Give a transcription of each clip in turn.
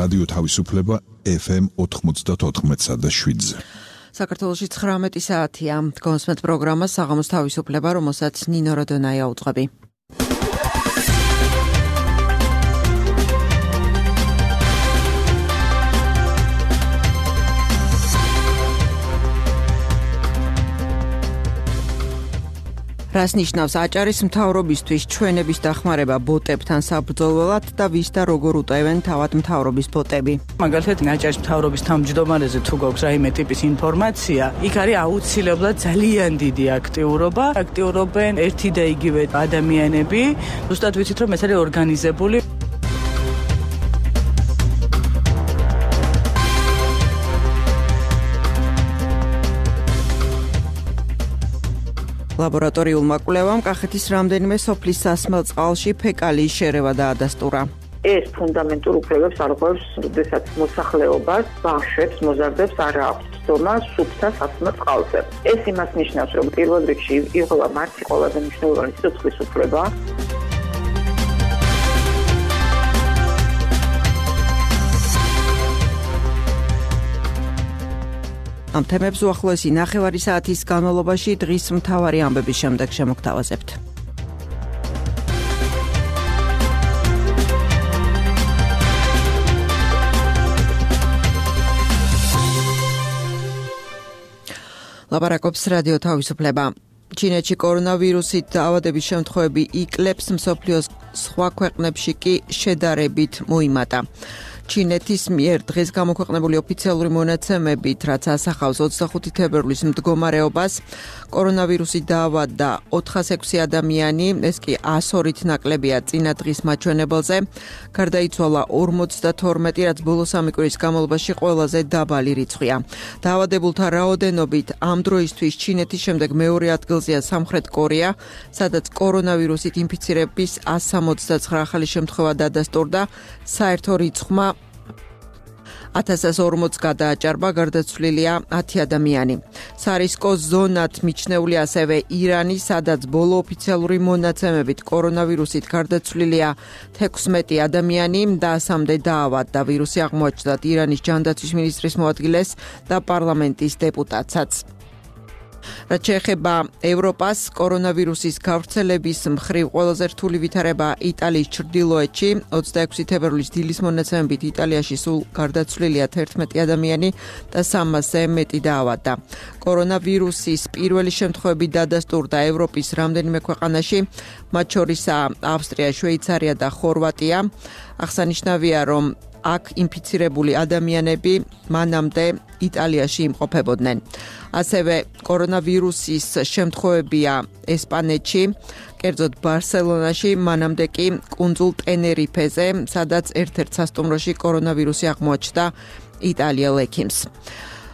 რადიო თავისუფლება FM 94.7-ზე. საქართველოში 19 საათია. გონსმეთ პროგრამა საღამოს თავისუფლება, რომელსაც ნინო როდონაია უძღვები. რას ნიშნავს აჭარის მთავრობისთვის ჩვენების დახმარება ბოტებთან საბრძოლველად და ვის და როგორ უტევენ თავად მთავრობის ბოტები? მაგალითად, აჭარის მთავრობის თავმჯდომარეზე თუ გვაქვს რაიმე ტიპის ინფორმაცია, იქ არის აუცილებლად ძალიან დიდი აქტიურობა. აქტიურობენ ერთი და იგივე ადამიანები. ზუსტად ვიცით, რომ ეს არის ორგანიზებული. ლაბორატორიულმა კვლევამ კახეთის რამდენიმე სოფლის სასმელ წყალში ფეკალიის შერევა დაადასტურა. ეს ფუნდამენტურ უფლებებს არღვევს, როდესაც მოსახლეობას, ბავშვებს, მოზარდებს არ აქვს ცდომა სუფთა სასმელ წყალზე. ეს იმას ნიშნავს, რომ პირველ რიგში იღება მათი ყველაზე მნიშვნელოვანი სიცოცხლის უფლება. ამ თემებს უახლოესი ნახევარი საათის განმავლობაში დღის მთავარი ამბების შემდეგ შემოგთავაზებთ. ლაპარაკობს რადიო თავისუფლება. ჩინეთში კორონავირუსით დაავადების შემთხვევები იკლებს, მსოფლიოს სხვა ქვეყნებში კი შედარებით მოიმატა. ჩინეთის მიერ დღეს გამოქვეყნებული ოფიციალური მონაცემებით, რაც ასახავს 25 თებერვლის მდგომარეობას, კორონავირუსით დაავადდა 406 ადამიანი, ეს კი 102-ით ნაკლებია წინა დღის მაჩვენებელზე. გარდაიცვალა 52, რაც ბოლო 3 კვირის განმავლობაში ყველაზე დაბალი რიცხვია. დაავადებულთა რაოდენობით ამ დროისთვის ჩინეთის შემდეგ მეორე ადგილზეა სამხრეთ კორეა, სადაც კორონავირუსით ინფიცირების 169 ახალი შემთხვევა დადასტურდა. საერთო რიცხვმა 1040 გადააჭარბა, გარდაცვლილია 10 ადამიანი. სარისკო ზონად მიჩნეული ასევე ირანი, სადაც ბოლო ოფიციალური მონაცემებით კორონავირუსით გარდაცვლილია 16 ადამიანი და 3-მდე დაავადდა. ვირუსი აღმოაჩნდა ირანის ჯანდაცვის მინისტრის მოადგილეს და პარლამენტის დეპუტატსაც. რაც შეეხება ევროპას, კორონავირუსის გავრცელების მხრივ ყველაზე რთული ვითარება იტალიის ჩრდილოეთში. 26 თებერვლის დილის მონაცემებით იტალიაში სულ გარდაცვლილია 11 ადამიანი და 300-ზე მეტი დაავადდა. კორონავირუსის პირველი შემთხვევები დადასტურდა ევროპის რამდენიმე ქვეყანაში, მათ შორისაა ავსტრია, შვეიცარია და ხორვატია. აღსანიშნავია, რომ აქ ინფიცირებული ადამიანები მანამდე იტალიაში იმყოფებოდნენ. ასევე კორონავირუსის შემთხვევებია ესპანეთში, კერძოდ ბარსელონაში, მანამდე კი კუნძულ ტენერიფეზე, სადაც ერთ-ერთ სასტუმროში კორონავირუსი აღმოაჩნდა იტალიელ ექიმს.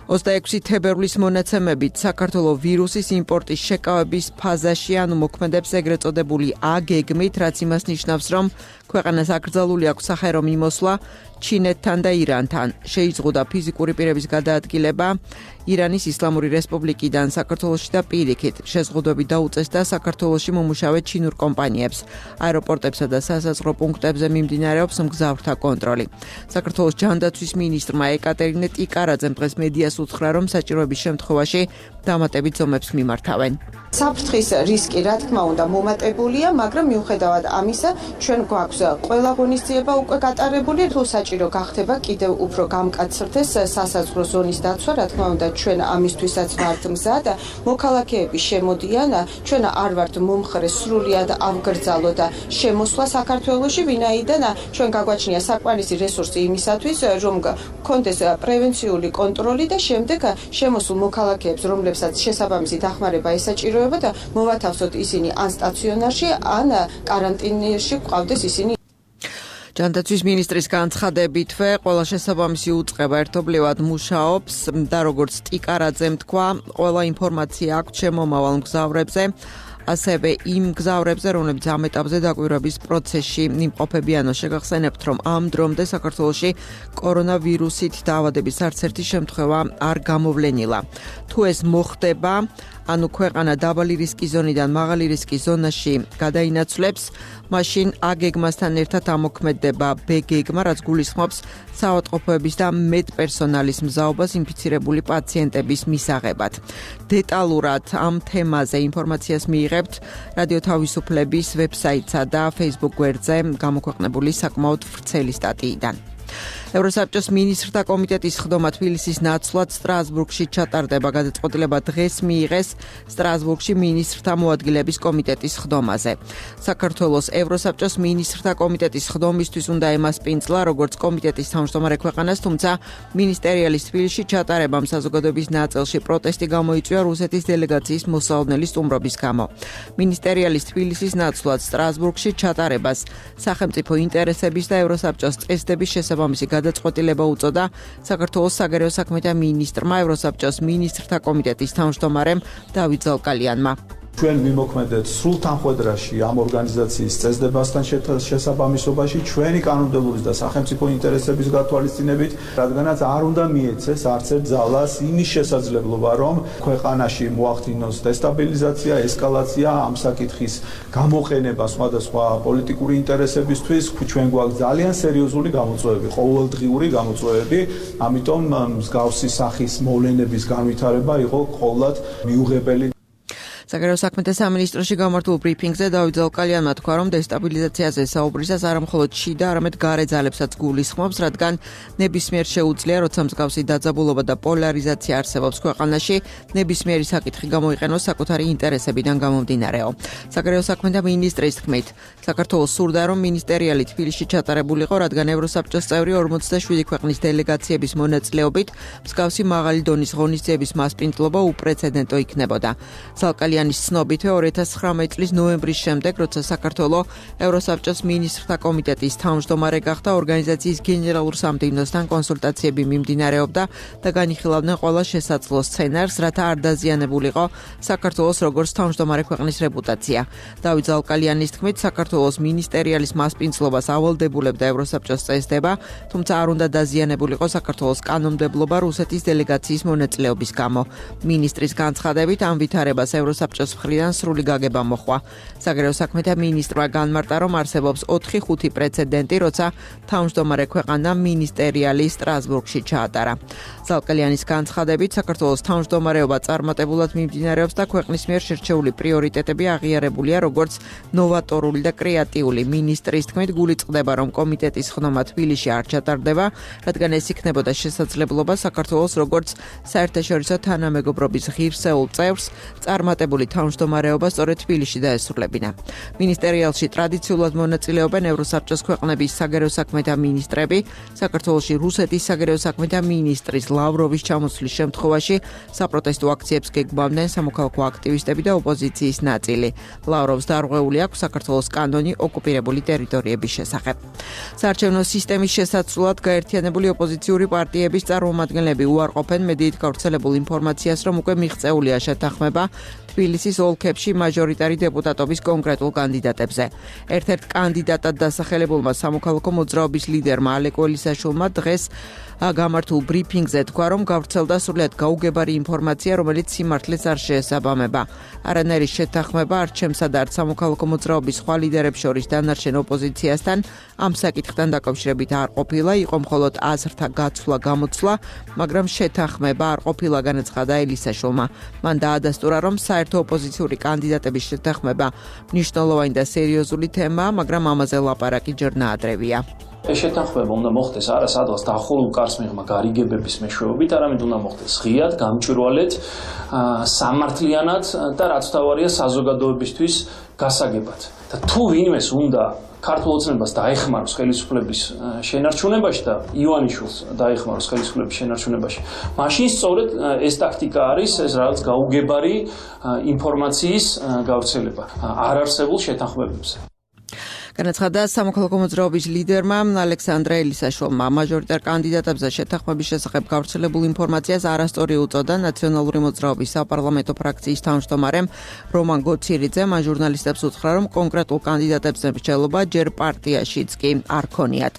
26 თებერვლის მონაცემებით საქართველოს ვირუსის იმპორტის შეკავების ფაზაში, ანუ მოქმედებს ეგრეთ წოდებული აგეგმით, რაც იმას ნიშნავს, რომ ქვეყანას აკრძალული აქვს სახერო მიმოსვლა ჩინეთთან და ირანთან. შეიზღუდა ფიზიკური პირების გადაადგილება ირანის ისლამური რესპუბლიკიდან საქართველოში და პირიქით. შეზღუდვები დაუწესდა საქართველოში მომუშავე ჩინურ კომპანიებს. აეროპორტებსა და სასაზღვრო პუნქტებზე მიმდინარეობს მგზავრთა კონტროლი. საქართველოს ჯანდაცვის მინისტრმა ეკატერინე ტიკარაძემ დღეს მედიას უთხრა, რომ საჭიროების შემთხვევაში დამატებით ზომებს მიმართავენ. საფრთხის რისკი, რა თქმა უნდა, მომატებულია, მაგრამ მიუხედავად ამისა, ჩვენ გვაქვს ყველა ღონისძიება უკვე გატარებული, თუ საჭირო გახდება კიდევ უფრო გამკაცრდეს სასაზღვრო ზონის დაცვა, რა თქმა უნდა, ჩვენ ამისთვისაც ვართ მზად. მოქალაქეები შემოდიან, ჩვენ არ ვართ მომხრე სრულად ავგრძალოთ შემოსვლა საქართველოში, ვინაიდან ჩვენ გაგვაჩნია საკმარისი რესურსი იმისათვის, რომ გქონდეს პრევენციული კონტროლი და შემდეგ შემოსულ მოქალაქეებს, რომლებსაც შესაბამისი დახმარება ესაჭიროება, და მოვათავსოთ ისინი ან სტაციონარში, ან კარანტინში გვყავდეს ისინი. ჯანდაცვის მინისტრის განცხადებითვე, ყველა შესაბამისი უწყება ერთობლივად მუშაობს და როგორც ტიკარაძემ თქვა, ყველა ინფორმაცია აქვს შემომავალ მგზავრებზე. ასევე იმ მგზავრებზე, რომლებიც ამ ეტაპზე დაკვირვების პროცესში იმყოფებიანო. შეგახსენებთ, რომ ამ დრომდე საქართველოში კორონავირუსით დაავადების არც ერთი შემთხვევა არ გამოვლენილა. თუ ეს მოხდება, ანუ ქვეყანა დაბალი რისკის ზონიდან მაღალი რისკის ზონაში გადაინაცვლებს, მაშინ A გეგმასთან ერთად ამოქმედდება B გეგმა, რაც გულისხმობს საავადმყოფოების და მედპერსონალის მზაობას ინფიცირებული პაციენტების მისაღებად. დეტალურად ამ თემაზე ინფორმაციას მიიღებთ რადიო თავისუფლების ვებსაიტსა და Facebook გვერდზე გამოქვეყნებული საკმაოდ ვრცელი სტატიიდან. ევროსაბჭოს მინისტრთა კომიტეტის ხდომა თბილისის ნაცვლად სტრასბურგში ჩატარდება. გადაწყვეტილება დღეს მიიღეს სტრასბურგში მინისტრთა მოადგილეების კომიტეტის ხდომაზე. საქართველოს ევროსაბჭოს მინისტრთა კომიტეტის ხდომისთვის უნდა ემასპინძლა როგორც კომიტეტის თავმჯდომარე ქვეყანას, თუმცა მინისტერიალის თბილისში ჩატარებამ საზოგადოების ნაწილში პროტესტი გამოიწვია რუსეთის დელეგაციის მოსალოდნელი სტუმრობის გამო. მინისტერიალის თბილისის ნაცვლად სტრასბურგში ჩატარებას სახელმწიფო ინტერესების და ევროსაბჭოს წესდების შესაბამისი გადაწყვეტილება უწოდა საქართველოს საგარეო საქმეთა მინისტრმა ევროსაბჭოს მინისტრთა კომიტეტის თავმჯდომარემ დავით ზალკალიანმა. ჩვენ ვიმოქმედეთ სრულ თანხმედრაში ამ ორგანიზაციის წესდებასთან შესაბამისობაში ჩვენი კანონმდებლობის და სახელმწიფო ინტერესების გათვალისწინებით, რადგანაც არ უნდა მიეცეს არც ერთ ძალას იმის შესაძლებლობა, რომ ქვეყანაში მოახდინოს დესტაბილიზაცია, ესკალაცია, ამ საკითხის გამოყენება სხვადასხვა პოლიტიკური ინტერესებისთვის. ჩვენ გვაქვს ძალიან სერიოზული გამოწვევები, ყოველდღიური გამოწვევები, ამიტომ მსგავსი სახის მოვლენების განვითარება იყო ყოველად მიუღებელი. საგარეო საქმეთა სამინისტროში გამართულ ბრიფინგზე დავით ზალკალიანმა თქვა, რომ დესტაბილიზაციაზე საუბრისას არა მხოლოდ შიდა, არამედ გარე ძალებსაც გულისხმობს, რადგან ნებისმიერ შეუძლია, როცა მსგავსი დაძაბულობა და პოლარიზაცია არსებობს ქვეყანაში, ნებისმიერი საკითხი გამოიყენოს საკუთარი ინტერესებიდან გამომდინარეო. საგარეო საქმეთა მინისტრის თქმით, საქართველოს სურდა, რომ მინისტერიალი თბილისში ჩატარებულიყო, რადგან ევროსაბჭოს წევრი 47 ქვეყნის დელეგაციების მონაწილეობით მსგავსი მაღალი დონის ღონისძიების მასპინძლობა უპრეცედენტო იქნებოდა. ზალკალიანის ცნობით 2019 წლის ნოემბრის შემდეგ, როცა საქართველო ევროსაბჭოს მინისტრთა კომიტეტის თავმჯდომარე გახდა, ორგანიზაციის გენერალურ სამდივნოსთან კონსულტაციები მიმდინარეობდა და განიხილავდნენ ყველა შესაძლო სცენარს, რათა არ დაზიანებულიყო საქართველოს როგორც თავმჯდომარე ქვეყნის რეპუტაცია. დავით ზალკალიანის თქმით, საქართველოს მინისტერიალის მასპინძლობას ავალდებულებდა ევროსაბჭოს წესდება, თუმცა არ უნდა დაზიანებულიყო საქართველოს კანონმდებლობა რუსეთის დელეგაციის მონაწილეობის გამო. მინისტრის განცხადებით ამ ვითარებას ევროსაბჭოს მხრიდან სრული გაგება მოხვა. საგარეო საქმეთა მინისტრმა განმარტა, რომ არსებობს 4-5 პრეცედენტი, როცა თავმჯდომარე ქვეყანა მინისტერიალი სტრასბურგში ჩაატარა. ზალკალიანის განცხადებით, საქართველოს თავმჯდომარეობა წარმატებულად მიმდინარეობს და ქვეყნის მიერ შერჩეული პრიორიტეტები აღიარებულია როგორც ნოვატორული და კრეატიული. მინისტრის თქმით, გული წყდება, რომ კომიტეტის ხდომა თბილისში არ ჩატარდება, რადგან ეს იქნებოდა შესაძლებლობა საქართველოს როგორც საერთაშორისო თანამეგობრობის ღირსეულ წევრს წარმატებული თავმჯდომარეობა სწორედ თბილისში დაესრულებინა. მინისტერიალში ტრადიციულად მონაწილეობენ ევროსაბჭოს ქვეყნების საგარეო საქმეთა მინისტრები, საქართველოში რუსეთის საგარეო საქმეთა მინისტრის ლავროვის ჩამოსვლის შემთხვევაში საპროტესტო აქციებს გეგმავდნენ სამოქალაქო აქტივისტები და ოპოზიციის ნაწილი. ლავროვს დარღვეული აქვს საქართველოს კანონი ოკუპირებული ტერიტორიების შესახებ. საარჩევნო სისტემის შესაცვლად გაერთიანებული ოპოზიციური პარტიების წარმომადგენლები უარყოფენ მედიით გავრცელებულ ინფორმაციას, რომ უკვე მიღწეულია შეთანხმება თბილისის ოლქებში მაჟორიტარი დეპუტატობის კონკრეტულ კანდიდატებზე. ერთ-ერთ კანდიდატად დასახელებულმა სამოქალაქო მოძრაობის ლიდერმა ალეკ ველისაშვილმა დღეს გამართულ ბრიფინგზე თქვა, რომ გავრცელდა სრულიად გაუგებარი ინფორმაცია, რომელიც სიმართლეს არ შეესაბამება. არანაირი შეთანხმება არც ჩემსა და არც სამოქალაქო მოძრაობის სხვა ლიდერებს შორის დანარჩენ ოპოზიციასთან ამ საკითხთან დაკავშირებით არ ყოფილა, იყო მხოლოდ აზრთა გაცვლა-გამოცვლა, მაგრამ შეთანხმება არ ყოფილა, განაცხადა ელისაშვილმა. მან დაადასტურა, რომ საერთო ოპოზიციური კანდიდატების შეთანხმება მნიშვნელოვანი და სერიოზული თემაა, მაგრამ ამაზე ლაპარაკი ჯერ ნაადრევია. ეს შეთანხმება უნდა მოხდეს არა სადღაც დაახლოებულ კარს მიღმა გარიგებების მეშვეობით, არამედ უნდა მოხდეს ღიად, გამჭვირვალედ, სამართლიანად და რაც თავარია საზოგადოებისთვის გასაგებად. და თუ ვინმეს უნდა ქართულ ოცნებას დაეხმაროს ხელისუფლების შენარჩუნებაში და ივანიშვილს დაეხმაროს ხელისუფლების შენარჩუნებაში, მაშინ სწორედ ეს ტაქტიკა არის, ეს რაღაც გაუგებარი ინფორმაციის გავრცელება არარსებულ შეთანხმებებზე. განაცხადა სამოქალაქო მოძრაობის ლიდერმა ალექსანდრე ელისაშვილმა. მაჟორიტარ კანდიდატებზე შეთანხმების შესახებ გავრცელებულ ინფორმაციას არასწორი უწოდა ნაციონალური მოძრაობის საპარლამენტო ფრაქციის თავმჯდომარემ რომან გოციერიძემ. ჟურნალისტებს უთხრა, რომ კონკრეტულ კანდიდატებზე მსჯელობა ჯერ პარტიაშიც კი არ ქონიათ.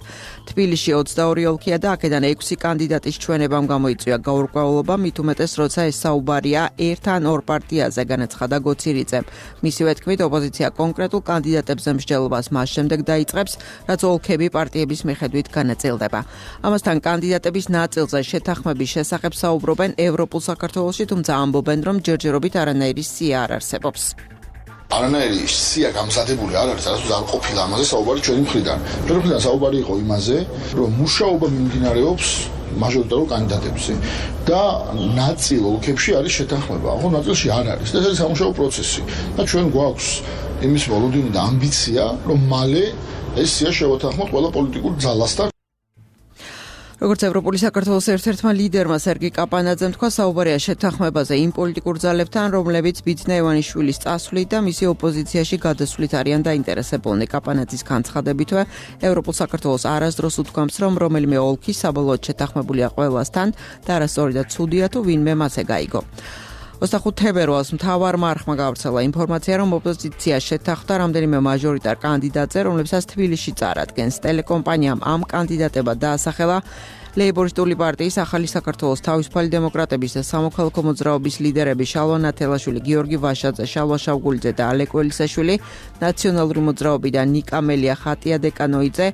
თბილისში 22 ოლქია და აქედან 6 კანდიდატის ჩვენებამ გამოიწვია გაურკვევლობა, მით უმეტეს, როცა ეს საუბარია ერთ ან ორ პარტიაზე, განაცხადა გოციერიძემ. მისივე თქმით, ოპოზიცია კონკრეტულ კანდიდატებზე მსჯელობას მას შემდეგ დაიწყებს, რაც ოლქები პარტიების მიხედვით განაწილდება. ამასთან კანდიდატების ნაწილზე შეთანხმების შესახებ საუბრობენ ევროპულ საქართველოში, თუმცა ამბობენ, რომ ჯერჯერობით არანაირი სია არ არსებობს. არანაირი სია გამზადებული არ არის, არასდროს არ ყოფილა ამაზე საუბარი ჩვენი მხრიდან. ჩვენი მხრიდან საუბარი იყო იმაზე, რომ მუშაობა მიმდინარეობს მაჟორიტარულ კანდიდატებზე და ნაწილ ოლქებში არის შეთანხმება, ხო ნაწილში არ არის. ეს არის სამუშაო პროცესი და ჩვენ გვაქვს იმის მოლოდინი და ამბიცია, რომ მალე ეს სია შევათანხმოთ ყველა პოლიტიკურ ძალასთან. როგორც ევროპული საქართველოს ერთ-ერთმა ლიდერმა სერგი კაპანაძემ თქვა, საუბარია შეთანხმებაზე იმ პოლიტიკურ ძალებთან, რომლებიც ბიძინა ივანიშვილის წასვლით და მისი ოპოზიციაში გადასვლით არიან დაინტერესებულნი. კაპანაძის განცხადებითვე, ევროპულ საქართველოს არასდროს უთქვამს, რომ რომელიმე ოლქი საბოლოოდ შეთანხმებულია ყველასთან და არასწორი და ცუდია თუ ვინმე მასე გაიგო. 25 თებერვალს მთავარმა არხმა გავრცელა ინფორმაცია, რომ ოპოზიცია შეთანხმდა რამდენიმე მაჟორიტარ კანდიდატზე, რომლებსაც თბილისში წარადგენს. ტელეკომპანიამ ამ კანდიდატებად დაასახელა ლეიბორისტული პარტიის ახალი საქართველოს თავისუფალი დემოკრატების და სამოქალაქო მოძრაობის ლიდერები შალვა ნათელაშვილი, გიორგი ვაშაძე, შალვა შავგულიძე და ალეკო ელისაშვილი, ნაციონალური მოძრაობიდან ნიკა მელია, ხატია დეკანოიძე,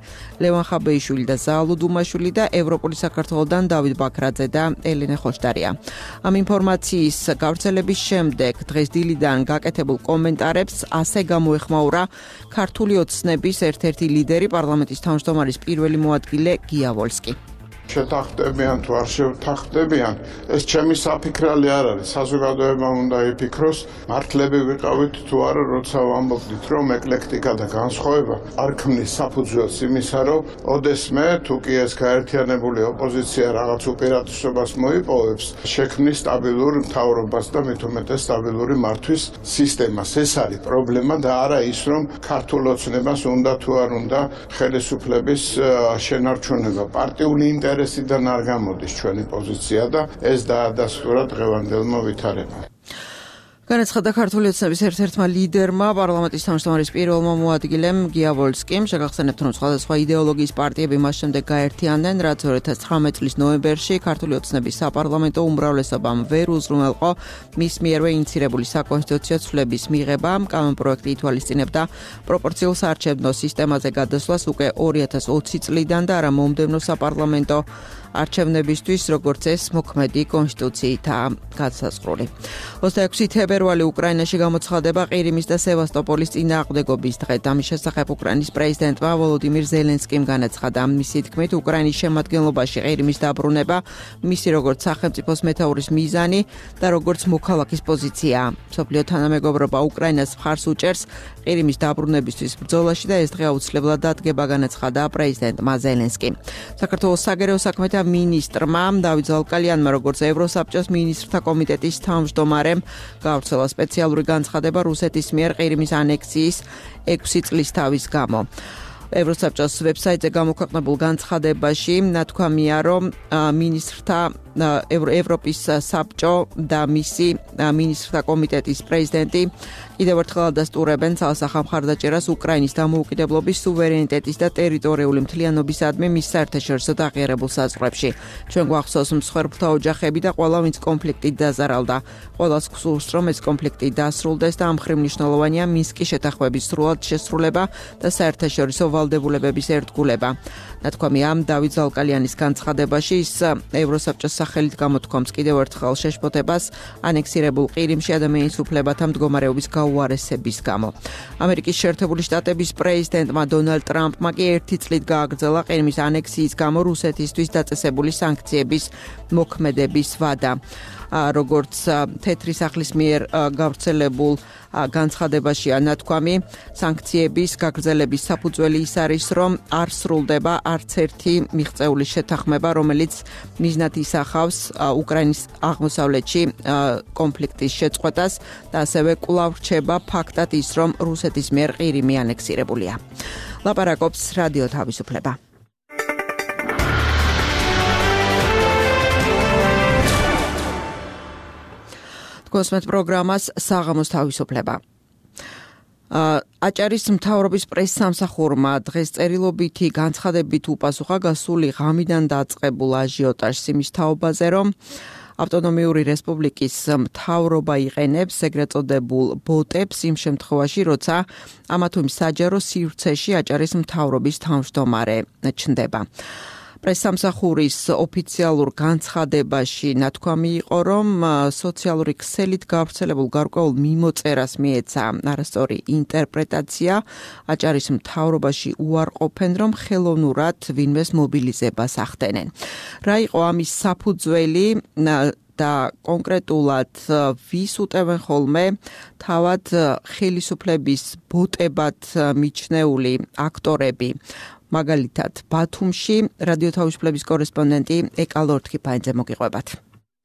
ლევან ხაბეიშვილი და ზაალუ დუმაშვილი და ევროპული საქართველოდან დავით ბაქრაძე და ელენე ხოშტარია. ამ ინფორმაციის გავრცელების შემდეგ დღეს დილიდან გაკეთებულ კომენტარებს ასე გამოეხმაურა ქართული ოცნების ერთ-ერთი ლიდერი, პარლამენტის თავმჯდომარის პირველი მოადგილე გია ვოლსკი. შეთანხმდებიან თუ არ შეთანხმდებიან, ეს ჩემი საფიქრალი არ არის. საზოგადოებამ უნდა იფიქროს, მართლები ვიყავით თუ არა, როცა ვამბობდით, რომ ეკლექტიკა და განსხვავება არ ქმნის საფუძველს იმისა, რომ ოდესმე თუ კი ეს გაერთიანებული ოპოზიცია რაღაც უპირატესობას მოიპოვებს, შექმნის სტაბილურ მთავრობას და მით უმეტეს სტაბილური მართვის სისტემას. ეს არის პრობლემა და არა ის, რომ ქართულ ოცნებას უნდა თუ არ უნდა ხელისუფლების შენარჩუნება. პარტიული ინტერესიდან არ გამოდის ჩვენი პოზიცია და ეს დაადასტურა დღევანდელმა ვითარებამ. განაცხადა ქართული ოცნების ერთ-ერთმა ლიდერმა, პარლამენტის თავმჯდომარის პირველმა მოადგილემ გია ვოლსკიმ. შეგახსენებთ, რომ სხვადასხვა იდეოლოგიის პარტიები მას შემდეგ გაერთიანდნენ, რაც 2019 წლის ნოემბერში ქართული ოცნების საპარლამენტო უმრავლესობამ ვერ უზრუნველყო მის მიერვე ინიცირებული საკონსტიტუციო ცვლილების მიღება. კანონპროექტი ითვალისწინებდა პროპორციულ საარჩევნო სისტემაზე გადასვლას უკვე 2020 წლიდან და არა მომდევნო საპარლამენტო არჩევნებისთვის, როგორც ეს მოქმედი კონსტიტუციითაა განსაზღვრული. 26 თებერვალი უკრაინაში გამოცხადება ყირიმის და სევასტოპოლის წინააღმდეგობის დღე. ამის შესახებ უკრაინის პრეზიდენტმა ვოლოდიმირ ზელენსკიმ განაცხადა. მისი თქმით, უკრაინის შემადგენლობაში ყირიმის დაბრუნება მისი როგორც სახელმწიფოს მეთაურის მიზანი და როგორც მოქალაქის პოზიციაა. მსოფლიო თანამეგობრობა უკრაინას მხარს უჭერს ყირიმის დაბრუნებისთვის ბრძოლაში და ეს დღე აუცილებლად დადგება, განაცხადა პრეზიდენტმა ზელენსკიმ. საქართველოს საგარეო საქმეთა მინისტრმა დავით ზალკალიანმა, როგორც ევროსაბჭოს მინისტრთა კომიტეტის თავმჯდომარემ, გავრცელა სპეციალური განცხადება რუსეთის მიერ ყირიმის ანექსიის 6 წლის თავის გამო. ევროსაბჭოს ვებსაიტზე გამოქვეყნებულ განცხადებაში ნათქვამია, რომ მინისტრთა ევროპის საბჭო და მისი მინისტრთა კომიტეტის პრეზიდენტი კიდევ ერთხელ ადასტურებენ ცალსახა მხარდაჭერას უკრაინის დამოუკიდებლობის, სუვერენიტეტის და ტერიტორიული მთლიანობისადმი მის საერთაშორისო აღიარებულ საზღვრებში. ჩვენ გვახსოვს მსხვერპლთა ოჯახები და ყველა, ვინც კონფლიქტით დაზარალდა. ყველას გსურს, რომ ეს კონფლიქტი დასრულდეს და ამ მხრივ მნიშვნელოვანია მინსკის შეთანხმების სრულად შესრულება და საერთაშორისო ვალდებულებების ერთგულება. ნათქვამია დავით ზალკალიანის განცხადებაში, ის ევროსაბჭოს სახელით გამოთქვამს კიდევ ერთხელ შეშფოთებას ანექსირებულ ყირიმში ადამიანის უფლებათა მდგომარეობის გაუარესების გამო. ამერიკის შეერთებული შტატების პრეზიდენტმა დონალდ ტრამპმა კი 1 წლით გააგრძელა ყირიმის ანექსიის გამო რუსეთისთვის დაწესებული სანქციების მოქმედების ვადა. როგორც თეთრი სახლის მიერ გავრცელებულ განცხადებაშია ნათქვამი, სანქციების გაგრძელების საფუძველი ის არის, რომ არ სრულდება არც ერთი მიღწეული შეთანხმება, რომელიც მიზნად ისახავს უკრაინის აღმოსავლეთში კონფლიქტის შეწყვეტას და ასევე კვლავ რჩება ფაქტად ის, რომ რუსეთის მიერ ყირიმი ანექსირებულია. ლაპარაკობს რადიო თავისუფლება. გოსმეთ პროგრამას საღამოს თავისუფლება. აჭარის მთავრობის პრესსამსახურმა დღეს წერილობითი განცხადებით უპასუხა გასული ღამიდან დაწყებულ აჟიოტაჟს იმის თაობაზე, რომ ავტონომიური რესპუბლიკის მთავრობა იყენებს ეგრეთ წოდებულ ბოტებს იმ შემთხვევაში, როცა ამა თუ იმ საჯარო სივრცეში აჭარის მთავრობის თავმჯდომარე ჩნდება. პრესსამსახურის ოფიციალურ განცხადებაში ნათქვამი იყო, რომ სოციალური ქსელით გავრცელებულ გარკვეულ მიმოწერას მიეცა არასწორი ინტერპრეტაცია. აჭარის მთავრობაში უარყოფენ, რომ ხელოვნურად ვინმეს მობილიზებას ახდენენ. რა იყო ამის საფუძველი და კონკრეტულად ვის უტევენ ხოლმე თავად ხელისუფლების ბოტებად მიჩნეული აქტორები. მაგალითად, ბათუმში რადიო თავისუფლების კორესპონდენტი ეკა ლორთქიფაინძე მოგიყვებათ.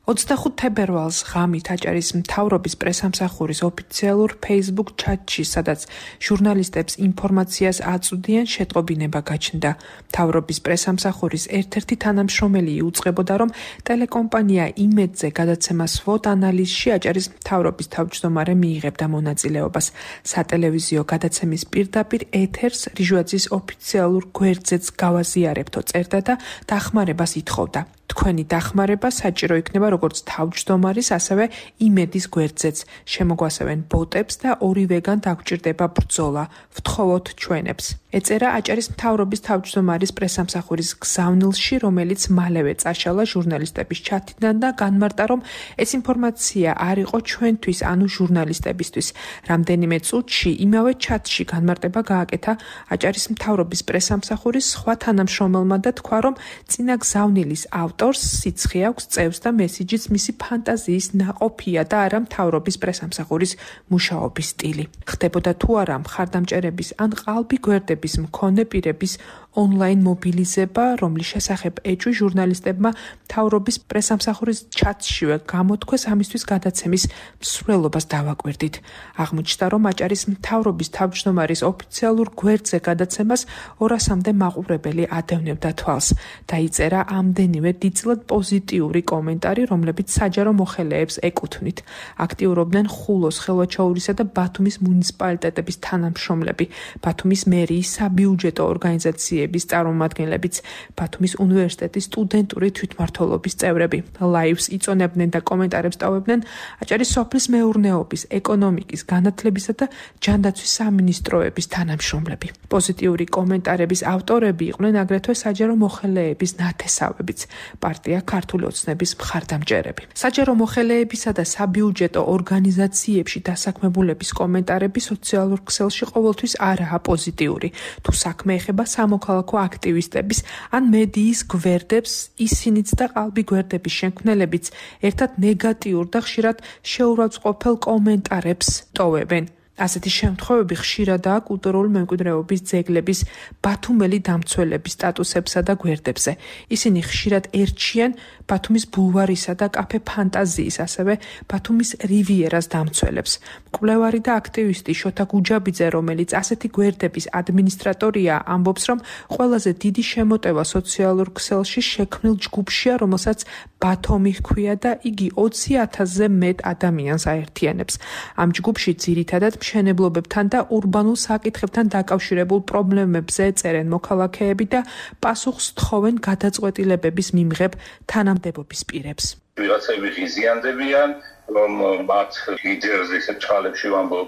25 თებერვალს ღამით აჭარის მთავრობის პრესსამსახურის ოფიციალურ Facebook ჩატში, სადაც ჟურნალისტებს ინფორმაციას აწვდიან, შეტყობინება გაჩნდა. მთავრობის პრესსამსახურის ერთ-ერთი თანამშრომელი იუწყებოდა, რომ ტელეკომპანია იმედზე გადაცემას SWOT ანალიზში აჭარის მთავრობის თავმჯდომარე მიიღებდა მონაწილეობას. სატელევიზიო გადაცემის პირდაპირ ეთერს რიჟუაძის ოფიციალურ გვერდზეც გავაზიარებთო წერდა და დახმარებას ითხოვდა. თქვენი დახმარება საჭირო იქნება როგორც თავმჯდომარის, ასევე იმედის გვერდზეც. შემოგვასევენ ბოტებს და ორივეგან დაგვჭირდება ბრძოლა. ვთხოვოთ ჩვენებს. ეწერა აჭარის მთავრობის თავმჯდომარის პრესსამსახურის გზავნილში, რომელიც მალევე წაშალა ჟურნალისტების ჩათიდან და განმარტა, რომ ეს ინფორმაცია არ იყო ჩვენთვის, ანუ ჟურნალისტებისთვის. რამდენიმე წუთში იმავე ჩატში განმარტება გააკეთა აჭარის მთავრობის პრესსამსახურის სხვა თანამშრომელმა და თქვა, რომ წინა გზავნილის ავტორს სიცხე აქვს, წევს და მესიჯიც მისი ფანტაზიის ნაყოფია და არა მთავრობის პრესსამსახურის მუშაობის სტილი. ხდებოდა თუ არა მხარდამჭერების ან ყალბი გვერდების მქონე პირების ონლაინ მობილიზება, რომლის შესახებ ეჭვი ჟურნალისტებმა მთავრობის პრესსამსახურის ჩატშივე გამოთქვეს, ამისთვის გადაცემის მსვლელობას დავაკვირდით. აღმოჩნდა, რომ აჭარის მთავრობის თავმჯდომარის ოფიციალურ გვერდზე გადაცემას 200-მდე მაყურებელი ადევნებდა თვალს. დაიწერა ამდენივე დიდწილად პოზიტიური კომენტარი, რომლებიც საჯარო მოხელეებს ეკუთვნით. აქტიურობდნენ ხულოს, ხელვაჩაურისა და ბათუმის მუნიციპალიტეტების თანამშრომლები, ბათუმის მერიის საბიუჯეტო ორგანიზაციების წარმომადგენლებიც, ბათუმის უნივერსიტეტის სტუდენტური თვითმმართველობის წევრები. ლაივს იწონებდნენ და კომენტარებს ტოვებდნენ აჭარის სოფლის მეურნეობის, ეკონომიკის, განათლებისა და ჯანდაცვის სამინისტროების თანამშრომლები. პოზიტიური კომენტარების ავტორები იყვნენ აგრეთვე საჯარო მოხელეების ნათესავებიც, პარტია ქართული ოცნების მხარდამჭერები. საჯარო მოხელეებისა და საბიუჯეტო ორგანიზაციებში დასაქმებულების კომენტარები სოციალურ ქსელში ყოველთვის არაა პოზიტიური. თუ საქმე ეხება სამოქალაქო აქტივისტების ან მედიის გვერდებს, ისინიც და ყალბი გვერდების შემქმნელებიც ერთად ნეგატიურ და ხშირად შეურაცხყოფელ კომენტარებს ტოვებენ. ასეთი შემთხვევები ხშირადაა კულტურული მემკვიდრეობის ძეგლების ბათუმელი დამცველების სტატუსებსა და გვერდებზე. ისინი ხშირად ერჩიან ბათუმის ბულვარისა და კაფე ფანტაზიის, ასევე ბათუმის რივიერას დამცველებს. მკვლევარი და აქტივისტი შოთა გუჯაბიძე, რომელიც ასეთი გვერდების ადმინისტრატორია, ამბობს, რომ ყველაზე დიდი შემოტევა სოციალურ ქსელში შექმნილ ჯგუფშია, რომელსაც ბათომი ჰქვია და იგი 20,000-ზე მეტ ადამიანს აერთიანებს. ამ ჯგუფში ძირითადად მშენებლობებთან და ურბანულ საკითხებთან დაკავშირებულ პრობლემებზე წერენ მოქალაქეები და პასუხს თხოვენ გადაწყვეტილებების მიმღებ თანამდებობის პირებს. ვიღაცები ღიზიანდებიან რომ მათ ლიდერზე ისეთ ჩხალებში ვამბობ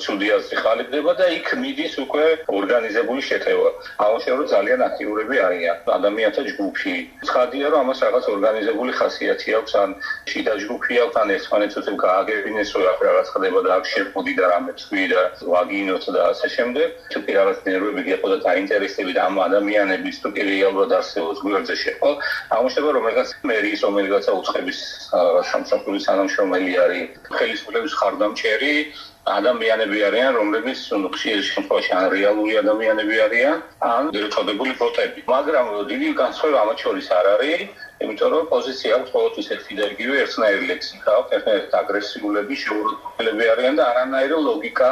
ცუდი აზრი ხალიფდება და იქ მიდის უკვე ორგანიზებული შეტევა. ამაშენ რომ ძალიან აქტიურები არიან ადამიანთა ჯგუფი. ცხადია რომ ამას რაღაც ორგანიზებული ხასიათი აქვს, ან შიდა ჯგუფი აქვს, ან ერთმანეთს უცებ გააგებინეს, რომ რაღაც ხდება და აქ შეყოდი და რამე თქვი და ვაგინოთ და ასე შემდეგ. თუ რაღაც ნერვები გიყო და დაინტერესები და ამ ადამიანების თუ კი რეალურად არსებობს გვერდზე შეყო, აღმოჩნდება რომ რაღაც მერის რომელიღაცა უცხების სამსახურის თანამშრომელი არის, ხელისუფლების ხარდამჭერი ადამიანები არიან, რომლებიც ხშირ შემთხვევაში ან რეალური ადამიანები არიან, ან ერთობებული ბოტები. მაგრამ დიდი განსხვავება ამათ შორის არ არის, იმიტომ რომ პოზიცია აქვს ყოველთვის ერთი და იგივე ერთნაირი ლექსიკა აქვს, ერთნაირი აგრესიულები, შეურაცხმყოფელები არიან და არანაირი ლოგიკა.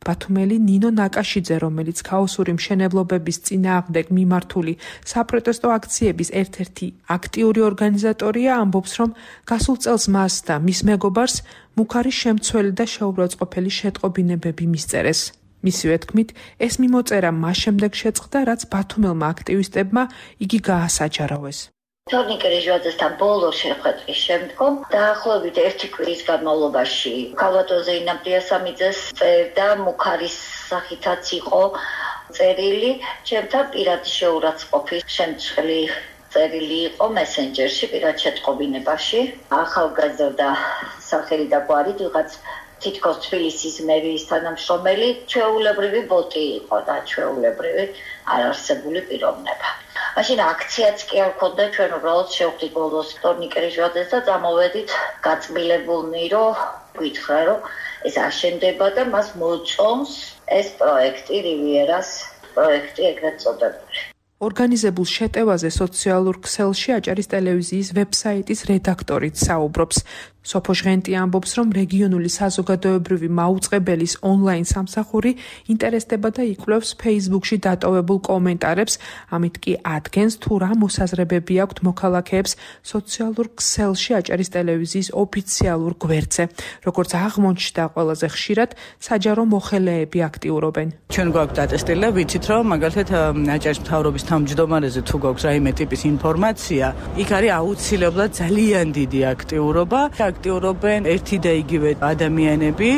ბათუმელი ნინო ნაკაშიძე, რომელიც ქაოსური მშენებლობების წინააღმდეგ მიმართული საპროტესტო აქციების ერთ-ერთი აქტიური ორგანიზატორია, ამბობს, რომ გასულ წელს მას და მის მეგობარს მუქარი შემცველი და შეურაცხმყოფელი შეტყობინებები მისწერეს. მისივე თქმით, ეს მიმოწერა მას შემდეგ შეწყდა, რაც ბათუმელმა აქტივისტებმა იგი გაასაჯარავეს. თორნიკე რეჟვაძესთან ბოლო შეხვედრის შემდგომ დაახლოებით 1 კვირის განმავლობაში ქალბატონზე ინამ დიასამიძეს წერდა მუქარის სახითაც იყო წერილი ჩემთან პირადი შეურაცხყოფის შემცველი წერილი იყო მესენჯერში პირად შეტყობინებაში ახალგაზრდა სახელი და გვარით ვიღაც თითქოს თბილისის მერიის თანამშრომელი ჩვეულებრივი ბოტი იყო და ჩვეულებრივი არარსებული პიროვნება. მაშინ აქციაც კი არ ქონდა, ჩვენ უბრალოდ შევხვდით ბოლოს თორნიკე რეჟვაძეს და წამოვედით გაწმილებულნი, რომ გითხრა, რომ ეს აშენდება და მას მოწონს ეს პროექტი რივიერას პროექტი ეგრეთ წოდებული. ორგანიზებულ შეტევაზე სოციალურ ქსელში აჭარის ტელევიზიის ვებსაიტის რედაქტორით საუბრობს. სოფო ჟღენტი ამბობს, რომ რეგიონული საზოგადოებრივი მაუწყებელის ონლაინ სამსახური ინტერესდება და იკვლევს Facebook-ში დატოვებულ კომენტარებს, ამით კი ადგენს თუ რა მოსაზრებები აქვთ მოქალაქეებს სოციალურ ქსელში აჭარის ტელევიზიის ოფიციალურ გვერდზე. როგორც აღმოჩნდა, ყველაზე ხშირად საჯარო მოხელეები აქტიურობენ. ჩვენ გვაქვს დატესტილი, ვიცით რომ მაგალითად აჭარის მთავრობის თავმჯდომარეზე თუ გვაქვს რაიმე ტიპის ინფორმაცია, იქ არის აუცილებლად ძალიან დიდი აქტიურობა. აქტიურობენ ერთი და იგივე ადამიანები,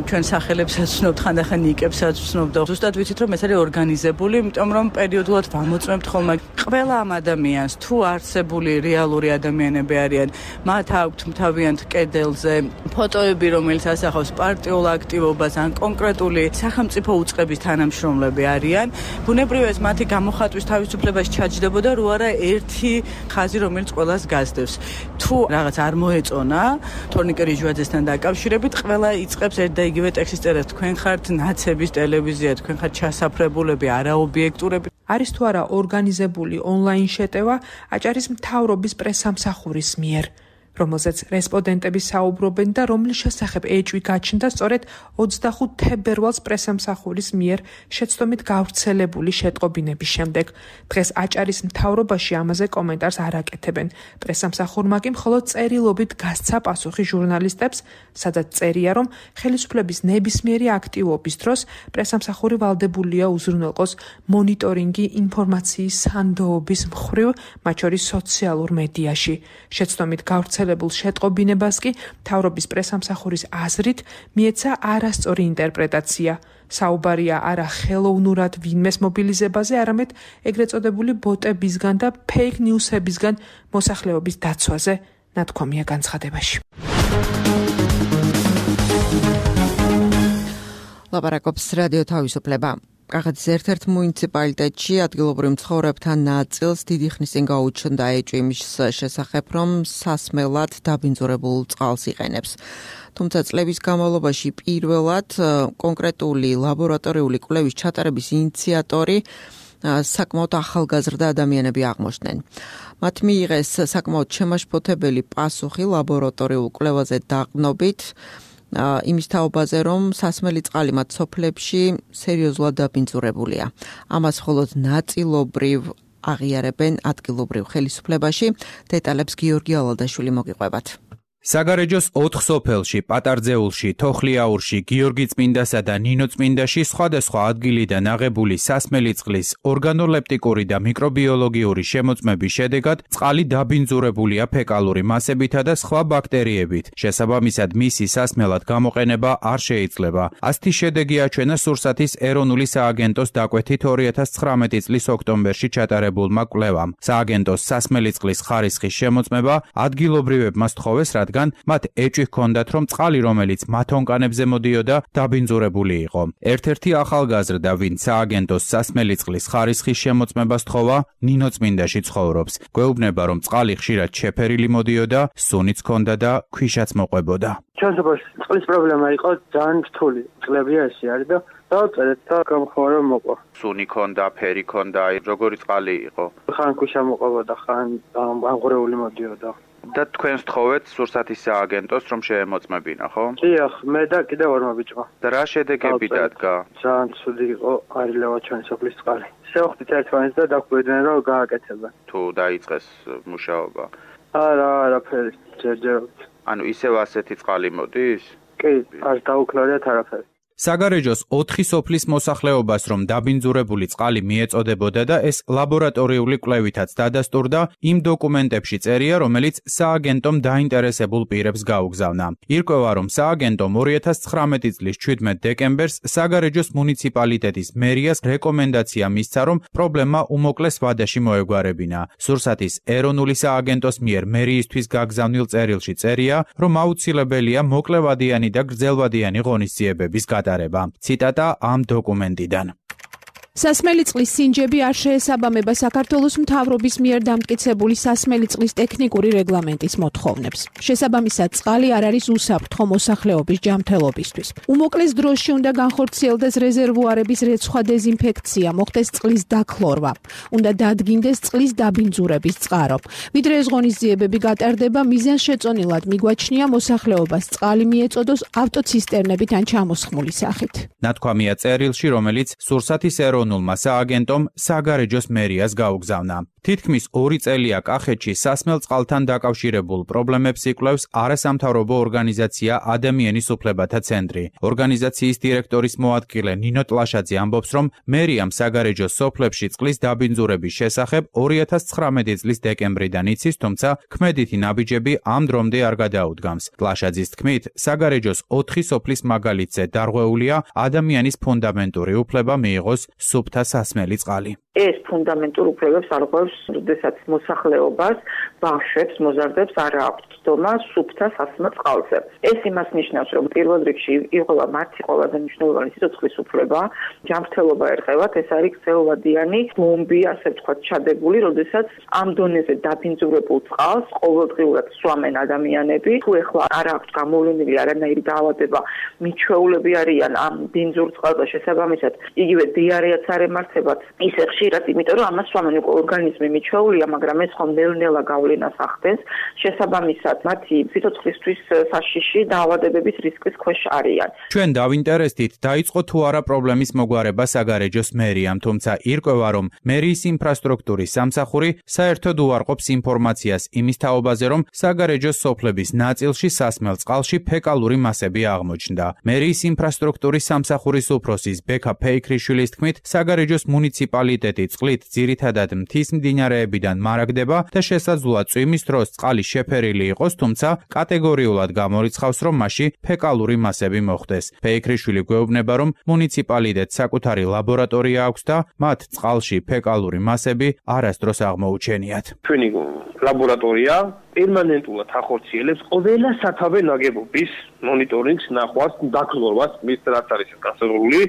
ჩვენ სახელებსაც ვცნობთ, ხანდახან ნიკებსაც ვცნობთ და ზუსტად ვიცით რომ ეს არის ორგანიზებული, იმიტომ რომ პერიოდულად ვამოწმებთ ხოლმე ყველა ამ ადამიანს, თუ არსებული რეალური ადამიანები არიან, მათ აქვთ თავიანთ კედელზე ფოტოები, რომელიც ასახავს პარტიულ აქტივობას ან კონკრეტული სახელმწიფო უწყების თანამშრომლები არიან. ბუნებრივია ეს მათი გამოხატვის თავისუფლებას ჩაჯდებოდა, რო არა ერთი ხაზი, რომელიც ყველას გასდევს. თუ რაღაც არ მოეწონა თორნიკე რეჟვაძესთან დაკავშირებით, ყველა იწყებს ერთ და იგივე ტექსტის წერას. თქვენ ხართ ნაცების ტელევიზია, თქვენ ხართ ჩასაფრებულები, არაობიექტურები. არის თუ არა ორგანიზებული ონლაინ შეტევა აჭარის მთავრობის პრესსამსახურის მიერ, რომელზეც რესპონდენტები საუბრობენ და რომლის შესახებ ეჭვი გაჩნდა სწორედ 25 თებერვალს პრესსამსახურის მიერ შეცდომით გავრცელებული შეტყობინების შემდეგ. დღეს აჭარის მთავრობაში ამაზე კომენტარს არ აკეთებენ. პრესსამსახურმა კი მხოლოდ წერილობით გასცა პასუხი ჟურნალისტებს, სადაც წერია, რომ ხელისუფლების ნებისმიერი აქტივობის დროს პრესსამსახური ვალდებულია უზრუნველყოს მონიტორინგი ინფორმაციის სანდოობის მხრივ, მათ შორის სოციალურ მედიაში. შეცდომით გავრცელებულ შეტყობინებას კი მთავრობის პრესსამსახურის აზრით მიეცა არასწორი ინტერპრეტაცია. საუბარია არა ხელოვნურად ვინმეს მობილიზებაზე, არამედ ეგრეთ წოდებული ბოტებისგან და ფეიქ ნიუსებისგან მოსახლეობის დაცვაზე, ნათქვამია განცხადებაში. ლაპარაკობს რადიო თავისუფლება. კახეთის ერთ-ერთ მუნიციპალიტეტში ადგილობრივ მცხოვრებთა ნაწილს დიდი ხნის წინ გაუჩნდა ეჭვი იმის შესახებ, რომ სასმელად დაბინძურებულ წყალს იყენებს. თუმცა წლების განმავლობაში პირველად კონკრეტული ლაბორატორიული კვლევის ჩატარების ინიციატორი საკმაოდ ახალგაზრდა ადამიანები აღმოჩნდნენ. მათ მიიღეს საკმაოდ შემაშფოთებელი პასუხი ლაბორატორიულ კვლევაზე დაყრდნობით იმის თაობაზე, რომ სასმელი წყალი მათ სოფლებში სერიოზულად დაბინძურებულია. ამას მხოლოდ ნაწილობრივ აღიარებენ ადგილობრივ ხელისუფლებაში. დეტალებს გიორგი ალადაშვილი მოგიყვებათ. საგარეჯოს 4 სოფელში, პატარძეულში, თოხლიაურში, გიორგი წმინდასა და ნინო წმინდაში სხვადასხვა ადგილიდან აღებული სასმელი წყლის ორგანოლეპტიკური და მიკრობიოლოგიური შემოწმების შედეგად წყალი დაბინძურებულია ფეკალური მასებითა და სხვა ბაქტერიებით. შესაბამისად, მისი სასმელად გამოყენება არ შეიძლება. ასეთი შედეგი აჩვენა სურსათის ეროვნული სააგენტოს დაკვეთით 2019 წლის ოქტომბერში ჩატარებულმა კვლევამ. სააგენტოს სასმელი წყლის ხარისხის შემოწმება ადგილობრივებმა სთხოვეს, რადგან მათ ეჭვი ჰქონდათ, რომ წყალი, რომელიც მათ ონკანებზე მოდიოდა, დაბინძურებული იყო. ერთ-ერთი ახალგაზრდა, ვინც სააგენტოს სასმელი წყლის ხარისხის შემოწმებას სთხოვა, ნინო წმინდაში ცხოვრობს. გვეუბნება, რომ წყალი ხშირად შეფერილი მოდიოდა, სუნიც ჰქონდა და ქვიშაც მოყვებოდა. ჩვენსოფელში წყლის პრობლემა იყო ძალიან რთული. წლებია ესე არის და დავწერეთ და გამხმაურა მოყვა. სუნი ჰქონდა, ფერი ჰქონდა, როგორი წყალი იყო? ხან ქვიშა მოყვებოდა, ხან აღღრეული მოდიოდა. და თქვენ სთხოვეთ სურსათის სააგენტოს, რომ შეემოწმებინა, ხო? დიახ, მე და კიდევ ორმა ბიჭმა. და რა შედეგები დადგა? ძალიან ცუდი იყო, არილევა ჩვენი სოფლის წყალი. შევხვდით ერთმანეთს და დაგვიდნენ, რომ გააკეთებენ. თუ დაიწყეს მუშაობა? არაფერი, ჯერჯერობით. ანუ ისევ ასეთი წყალი მოდის? კი, არ დაუქნარიათ არაფერი. საგარეჯოს 4 სოფლის მოსახლეობას რომ დაბინძურებული წყალი მიეწოდებოდა და ეს ლაბორატორიული კვლევითაც დადასტურდა, იმ დოკუმენტებში წერია, რომელიც სააგენტომ დაინტერესებულ პირებს გაუგზავნა. ირკვევა, რომ სააგენტომ 2019 წლის 17 დეკემბერს საგარეჯოს მუნიციპალიტეტის მერიას რეკომენდაცია მისცა, რომ პრობლემა უმოკლეს ვადაში მოეგვარებინა. სურსათის ეროვნული სააგენტოს მიერ მერიისთვის გაგზავნილ წერილში წერია, რომ აუცილებელია მოკლევადიანი და გრძელვადიანი ღონისძიებების გატარება. ციტატა ამ დოკუმენტიდან. სასმელი წყლის სინჯები არ შეესაბამება საქართველოს მთავრობის მიერ დამტკიცებული სასმელი წყლის ტექნიკური რეგლამენტის მოთხოვნებს. შესაბამისად, წყალი არ არის უსაფრთხო მოსახლეობის ჯანმრთელობისთვის. უმოკლეს დროში უნდა განხორციელდეს რეზერვუარების რეცხვა დეზინფექცია, მოხდეს წყლის დაქლორვა. უნდა დადგინდეს წყლის დაბინძურების წყარო. ვიდრე ეს ღონისძიებები გატარდება, მიზანშეწონილად მიგვაჩნია მოსახლეობას წყალი მიეწოდოს ავტოცისტერნებით ან ჩამოსხმული სახით. ნათქვამია წერილში, რომელიც სურსათის ეროვნულმა სააგენტომ საგარეჯოს მერიას გაუგზავნა. თითქმის 2 წელია კახეთში სასმელ წყალთან დაკავშირებულ პრობლემებს იკვლევს არასამთავრობო ორგანიზაცია ადამიანის უფლებათა ცენტრი. ორგანიზაციის დირექტორის მოადგილე ნინო ტლაშაძე ამბობს, რომ მერიამ საგარეჯოს სოფლებში წყლის დაბინძურების შესახებ 2019 წლის დეკემბრიდან იცის, თუმცა ქმედითი ნაბიჯები ამ დრომდე არ გადაუდგამს. ტლაშაძის თქმით, საგარეჯოს 4 სოფლის მაგალითზე დარღვეულია ადამიანის ფუნდამენტური უფლება მიიღოს სუფთა სასმელი წყალი. ეს ფუნდამენტურ უფლებებს არღვევს, როდესაც მოსახლეობას, ბავშვებს, მოზარდებს არ აქვთ ცდომა სუფთა სასმელ წყალზე. ეს იმას ნიშნავს, რომ პირველ რიგში იღება მათი ყველაზე მნიშვნელოვანი სიცოცხლის უფლება, ჯანმრთელობა ერყევათ, ეს არის გრძელვადიანი ბომბი, ასე ვთქვათ, ჩადებული, როდესაც ამ დონეზე დაბინძურებულ წყალს ყოველდღიურად სვამენ ადამიანები. თუ ეხლა არ აქვთ გამოვლენილი არანაირი დაავადება, მიჩვეულები არიან ამ ბინძურ წყალზე, შესაბამისად, იგივე დიარეაც არ ემართებათ, ისე ხშირად, იმიტომ რომ ამას სვამენ ორგანიზმი მიჩვეულია, მაგრამ ეს ხომ ნელ-ნელა გავლენას ახდენს, შესაბამისად, მათი სიცოცხლისთვის საშიში დაავადებების რისკის ქვეშ არიან. ჩვენ დავინტერესდით, დაიწყო თუ არა პრობლემის მოგვარება საგარეჯოს მერიამ, თუმცა ირკვევა, რომ მერიის ინფრასტრუქტურის სამსახური საერთოდ უარყოფს ინფორმაციას იმის თაობაზე, რომ საგარეჯოს სოფლების ნაწილში სასმელ წყალში ფეკალური მასები აღმოჩნდა. მერიის ინფრასტრუქტურის სამსახურის უფროსის ბექა ფეიქრიშვილის თქმით, საგარეჯოს მუნიციპალიტეტი წყლით ძირითადად მთის მდინარეებიდან მარაგდება და შესაძლოა წვიმის დროს წყალი შეფერილი იყოს, თუმცა კატეგორიულად გამორიცხავს, რომ მასში ფეკალური მასები მოხდეს. ფეიქრიშვილი გვეუბნება, რომ მუნიციპალიტეტს საკუთარი ლაბორატორია აქვს და მათ წყალში ფეკალური მასები არასდროს აღმოუჩენიათ. ჩვენი ლაბორატორია პერმანენტულად ახორციელებს ყველა სათავე ნაგებობის მონიტორინგს, ნახვას, დაქლორვას, მის რაც არის განსაზღვრული,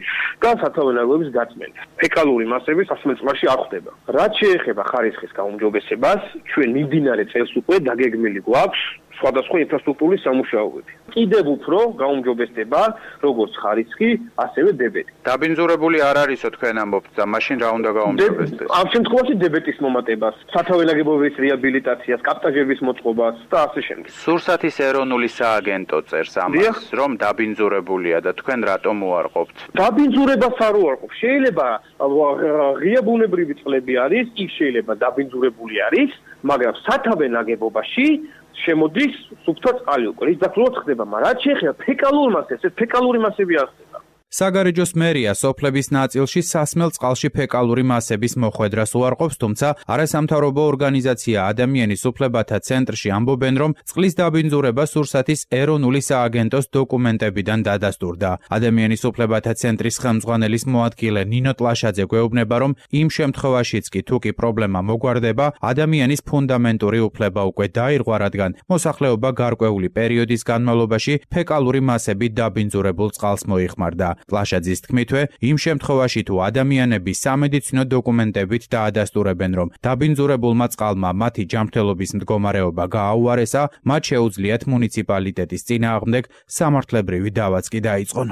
და სათავე ნაგებობის გაწმენდა. ფეკალური მასები სასმელ წყალში არ ხდება. რაც შეეხება ხარისხის გაუმჯობესებას, ჩვენ მიმდინარე წელს უკვე დაგეგმილი გვაქვს სხვადასხვა ინფრასტრუქტურის სამუშაოები. კიდევ უფრო გაუმჯობესდება როგორც ხარისხი, ასევე დებეტი. დაბინძურებული არ არისო თქვენ ამბობთ და მაშინ რა უნდა გაუმჯობესდეს? ამ შემთხვევაში დებეტის მომატებას, სათავე ნაგებობის რეაბილიტაციას, კაპტაჟების მოწყობას და ასე შემდეგ. სურსათის ეროვნული სააგენტო წერს ამას, რომ დაბინძურებულია და თქვენ რატომ უარყოფთ? დაბინძურებას არ უარყოფ. შეიძლება ღია ბუნებრივი წყლები არის, იქ შეიძლება დაბინძურებული არის, მაგრამ სათავე ნაგებობაში შემოდის სუფთა წყალი უკვე ის დაკლებად ხდება, მაგრამ რაც შეეხება ფეკალურ მასებს, ეს ფეკალური მასები არ ხდება. საგარეჯოს მერია სოფლების ნაწილში სასმელ წყალში ფეკალური მასების მოხვედრას უარყოფს, თუმცა არასამთავრობო ორგანიზაცია ადამიანის უფლებათა ცენტრში ამბობენ, რომ წყლის დაბინძურება სურსათის ეროვნული სააგენტოს დოკუმენტებიდან დადასტურდა. ადამიანის უფლებათა ცენტრის ხელმძღვანელის მოადგილე ნინო ტლაშაძე გვეუბნება, რომ იმ შემთხვევაშიც კი თუ კი პრობლემა მოგვარდება, ადამიანის ფუნდამენტური უფლება უკვე დაირღვა, რადგან მოსახლეობა გარკვეული პერიოდის განმავლობაში ფეკალური მასებით დაბინძურებულ წყალს მოიხმარდა. ტლაშაძის თქმითვე, იმ შემთხვევაში თუ ადამიანები სამედიცინო დოკუმენტებით დაადასტურებენ, რომ დაბინძურებულმა წყალმა მათი ჯანმრთელობის მდგომარეობა გააუარესა, მათ შეუძლიათ მუნიციპალიტეტის წინააღმდეგ სამართლებრივი დავაც კი დაიწყონ.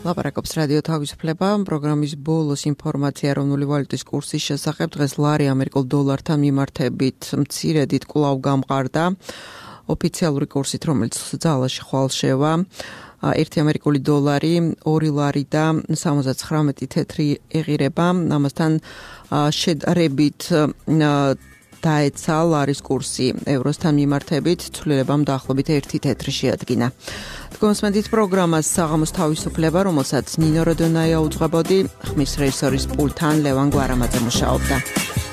ლაპარაკობს რადიო თავისუფლება, პროგრამის ბოლოს ინფორმაცია ეროვნული ვალუტის კურსის შესახებ. დღეს ლარი ამერიკულ დოლართან მიმართებით მცირედით კვლავ გამყარდა. ოფიციალური კურსით, რომელიც ძალაში ხვალ შევა, 1 ამერიკული დოლარი 2 ლარი და 79 თეთრი ეღირება. ამასთან შედარებით დაეცა ლარის კურსი ევროსთან მიმართებით, ცვლილებამ დაახლოებით 1 თეთრი შეადგინა. თქვენსმენთ პროგრამას საღამოს თავისუფლება, რომელსაც ნინო როდონაია უძღვებოდი, ხმის რეჟისორის პულტთან ლევან გვარამაძე მუშაობდა.